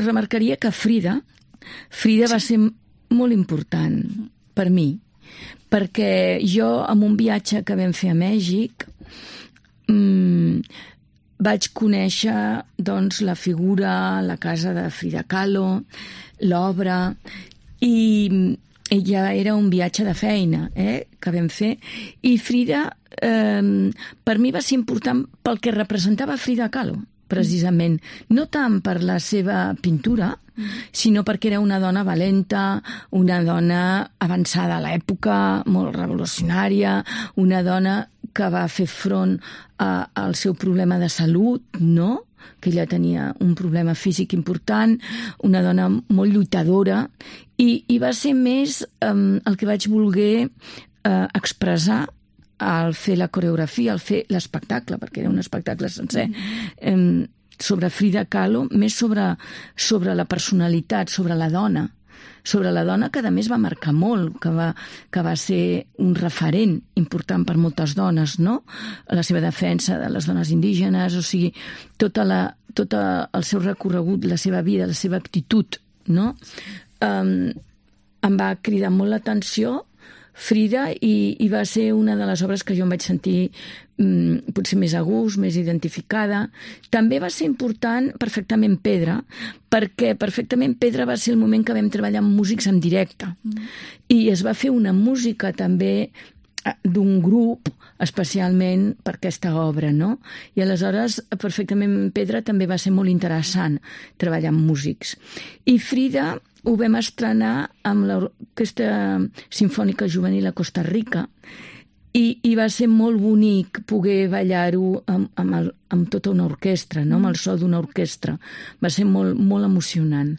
remarcaria que Frida va ser molt important per mi, perquè jo, en un viatge que vam fer a Mèxic, vaig conèixer doncs, la figura, la casa de Frida Kahlo, l'obra, i ja era un viatge de feina que vam fer, i Frida per mi va ser important pel que representava Frida Kahlo, precisament, no tant per la seva pintura, sinó perquè era una dona valenta, una dona avançada a l'època, molt revolucionària, una dona que va fer front al seu problema de salut, no?, que ella tenia un problema físic important, una dona molt lluitadora, i va ser més el que vaig voler expressar al fer la coreografia, al fer l'espectacle, perquè era un espectacle sencer, sobre Frida Kahlo, més sobre la personalitat, sobre la dona, que a més va marcar molt, que va ser un referent important per moltes dones, no? La seva defensa de les dones indígenes, o sigui, tot el seu recorregut, la seva vida, la seva actitud, no? Em va cridar molt l'atenció Frida, i va ser una de les obres que jo em vaig sentir potser més a gust, més identificada. També va ser important Perfectament Pedra, perquè Perfectament Pedra va ser el moment que vam treballar amb músics en directe. I es va fer una música també d'un grup especialment per aquesta obra, no? I aleshores Perfectament Pedra també va ser molt interessant treballar amb músics. I Frida ho vam estrenar amb l'Orquestra Simfònica Juvenil a Costa Rica, i va ser molt bonic poder ballar-ho amb tota una orquestra, no? Amb el so d'una orquestra. Va ser molt, molt emocionant.